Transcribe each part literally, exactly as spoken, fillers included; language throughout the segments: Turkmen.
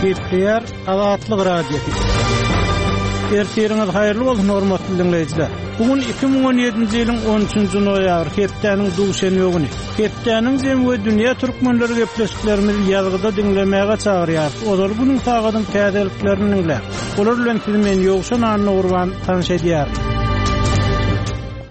Gepleýär Azatlyk Radiosy. Ertiriňiz haýyrly bolsun hormatly dinleýjiler. Bu gün iki müň on ýedinji ýylyň on üçünji noýabr, hepdäniň duşenbe güni. Hepdäniň jemi we dünýä türkmenleri gepleşiklerimizi ýazgyda diňlemäge çagyrýarys. Ozal günüň sagadyň täzeliklerini diňläp, olar bilen sizi men Ýowşan Annagurban tanyş edýärin.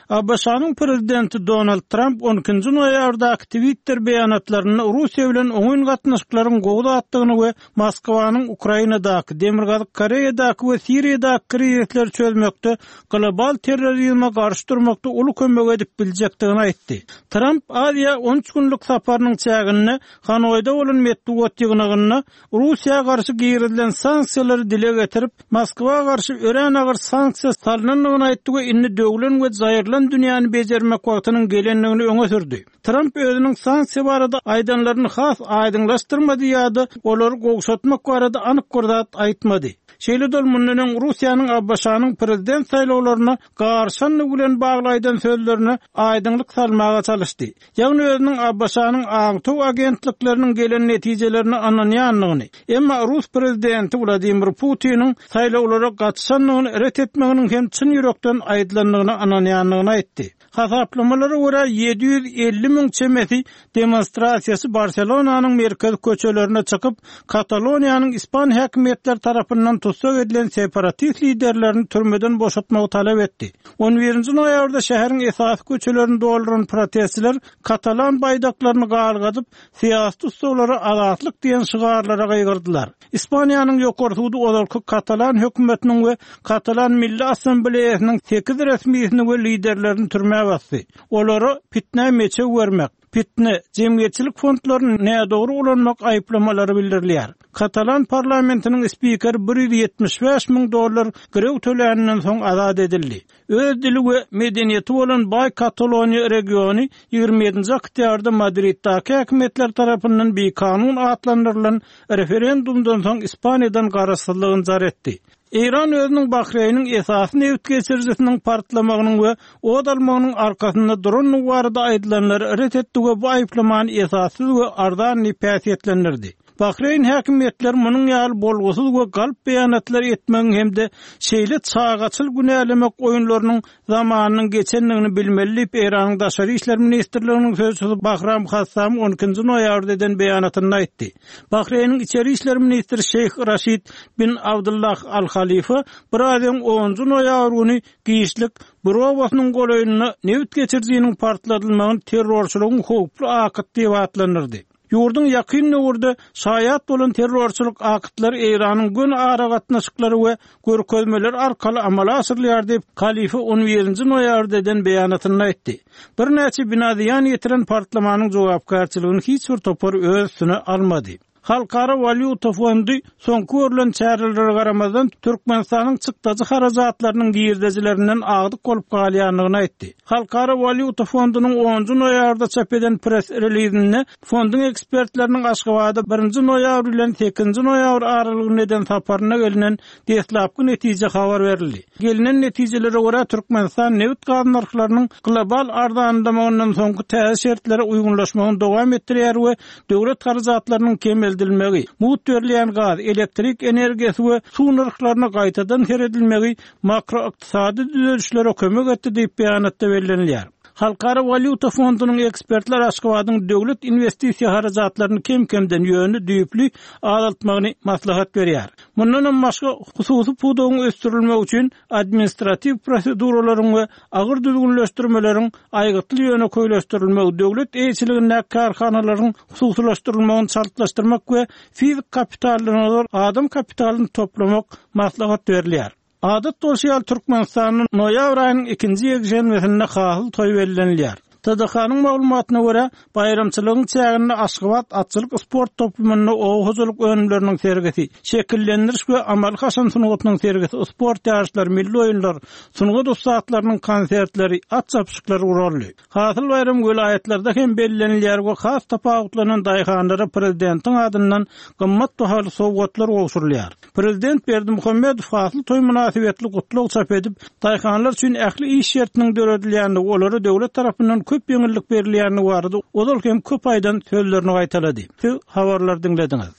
A B Ş-nyň prezidenti Donald Trump on ikinji noýabrdaky Twitter beýanatlarynda Russiýa bilen oňyn gatnaşyklaryň gowy zatdygyny we Moskwanyň Ukrainadaky, Demirgazyk Koreýadaky we Siriýadaky krizisleri çözmekde, global terrorizme garşy durmakda uly kömek edip biljekdigini aýtdy. Trump Aziýa on üç günlük saparynyň çäginde Hanoýda bolan metbugat ýygnagynda Russiýa garşy girizilen sanksiýalary dile getirip, Moskwa garşy örän agyr sanksiýa salynandygyny aýtdy we indi döwlen we jaýrylan dünýäni bejermek wagtynyň gelendigini öňe sürdi. Trump özüniň sanksiýa barada aýdanlaryny has aýdyňlaşdyrmady ýa-da olary gowşatmak barada anyk bir zat aýtmady. Şeýle-de ol mundan öň Russiýanyň A B Ş-nyň prezident saýlawlaryna garşandygy bilen bagly aýdan sözlerine aýdyňlyk salmaga çalyşdy. Ýagny özüniň A B Ş-nyň aňtaw agentlikleriniň gelen netijelerine ynanýandygyny, emma Rus prezidenti Wladimir Putiniň saýlawlara gatyşandygyny ret etmeginiň hem çyn ýürekden aýdylandygyna ynanýandygyny aýtdy. Hasaplamalara görä ýedi ýüz elli müň çemesi demonstrasiýasy Barselonanyň merkezi köçelerine çykyp, Kataloniýanyň ispan häkimiýetleri tarapyndan tussag edilen separatist liderlerini türmeden boşatmagy talap etdi. On birinji noýabrda şäheriň esasy köçelerini dolduran protestçiler Katalan baýdaklaryny galgadyp, syýasy tussaglara azatlyk diýen şygarlara gygyrdylar. Ispaniýanyň ýokary sudy ozalky Katalan hökümetiniň we Katalan Milli Assambleýasynyň sekiz resmisini we liderlerini türmä basdy. Olara pitnä meçew bermek, pitne, jemgyýetçilik fondlaryny nädogry ulanmak aýyplamalary bildirilýär. Katalan parlamentiniň spikeri bir ýüz ýetmiş bäş müň dollar girew töläninden soň azat edildi. Öz dili we medeniýeti bolan Baý Kataloniýa regiony ýigrimi ýedinji oktýabrda Madriddaky häkimiýetler tarapyndan bikanun atlandyrylan referendumdan soň Ispaniýadan garaşsyzlygyny jar etdi. Eýran özüniň Bahreýniň esasy neft geçirijisiniň partlamagynyň we od almagynyň arkasynda durandygy barada aýdylanlary ret etdi we bu aýyplamany esassyz we arzan diýip häsiýetlendirdi. Bahreýn häkimiýetleri munuň ýaly bolgusyz we galp beýanatlar etmegiň hem-de şeýle çagaçyl günälemek oýunlarynyň zamanynyň geçendigini bilmeli diýip Eýranyň Daşary işler ministrliginiň sözçüsi Bahram Hassam on ikinji noýabrda eden beýanatynda aýtdy. Bahreýniň içeri işler ministri Şeýh Raşid bin Abdullah Al-Halifa bir aýyň onunjy noýabr güni giçlik Burowasynyň golaýynda neft geçirijiniň partladylmagyny terrorçylygyň howply akyt diýip atlandyrdy. Ýurduň ýakyn döwürde şaýat bolan terrorçylyk akytlary Eýranyň gün aragatnaşyklary we görkezmeler arkaly amala aşyrylýar diýip Halifa on birinji noýabrda eden beýanatynda aýtdy. Birnäçe bina zyýan ýetiren partlamanyň jogapkärçiligini hiç bir topar öz üstüne almady. Halkara walýuta fondy soňky görülen çärelere garamazdan Türkmenistanyň çykdajy harajatlarynyň girdejilerinden agdyk bolup galýandygyny aýtdy. Halkara walýuta fondunyň onunjy noýabrda çap eden press relizinde fonduň ekspertleriniň Aşgabatda birinji noýabr bilen sekizinji noýabr aralygynda eden saparyna gelinen deslapky netije habar berildi. Gelinen netijelere görä Türkmenistan neft gaz nyrhlarynyň global arzanlamagyndan soňky täze şertlere uýgunlaşmagyny dowam etdirýär we döwlet harajatlarynyň kemeldilmegi, mugt berilýän gaz, elektrik energiýasy we suw nyrhlaryna gaýtadan seredilmegi makroykdysady düzelişlere kömek etdi diýip beýanatda bellenilýär. Halkara walýuta fondunyň ekspertler Aşgabadyň döwlet investisiýa harajatlaryny kem-kemden ýöne düýpli azaltmagyny maslahat berýär. Mundan hem başga hususy pudagyň ösdürilmegi üçin administratiw proseduralaryň we agyr düzgünleşdirmeleriň aýgytly ýöne köýleşdirilmegi, döwlet eýeçiligindäki kärhanalaryň hususylaşdyrylmagyny çaltlaşdyrmak we fizik kapitalyny adam kapitalyny toplamak maslahat berilýär. Adat bolşy ýaly Türkmenistanyň noýabr aýynyň ikinji ýekşenbesinde hasyl toý bellenilýär. T D K-nyň maglumatyna görä, baýramçylygyň çäginde Aşgabat atçylyk sport toplumynda oba hojalyk önümleriniň sergisi, şekillendiriş we amaly haşam sungatynyň sergisi, sport ýaryşlary, milli oýunlar, sungat ussatlarynyň konsertleri, at çapyşyklary guraldy. Hasyl baýram welaýatlarda hem bellenilýär we has tapawutlanan daýhanlara prezidentiň adyndan gymmat bahaly sowgatlar gowşurylýar. Prezident Berdimuhamedow hasyl toý mynasybetli gutlag çap edip, daýhanlar üçin ähli iş şertiniň döredilýändigi, olara döwlet tarapyndan köp ýeňillik berilýändigi barada ozal hem köp aýdan sözlerini gaýtalady. Siz habarlar diňlediňiz.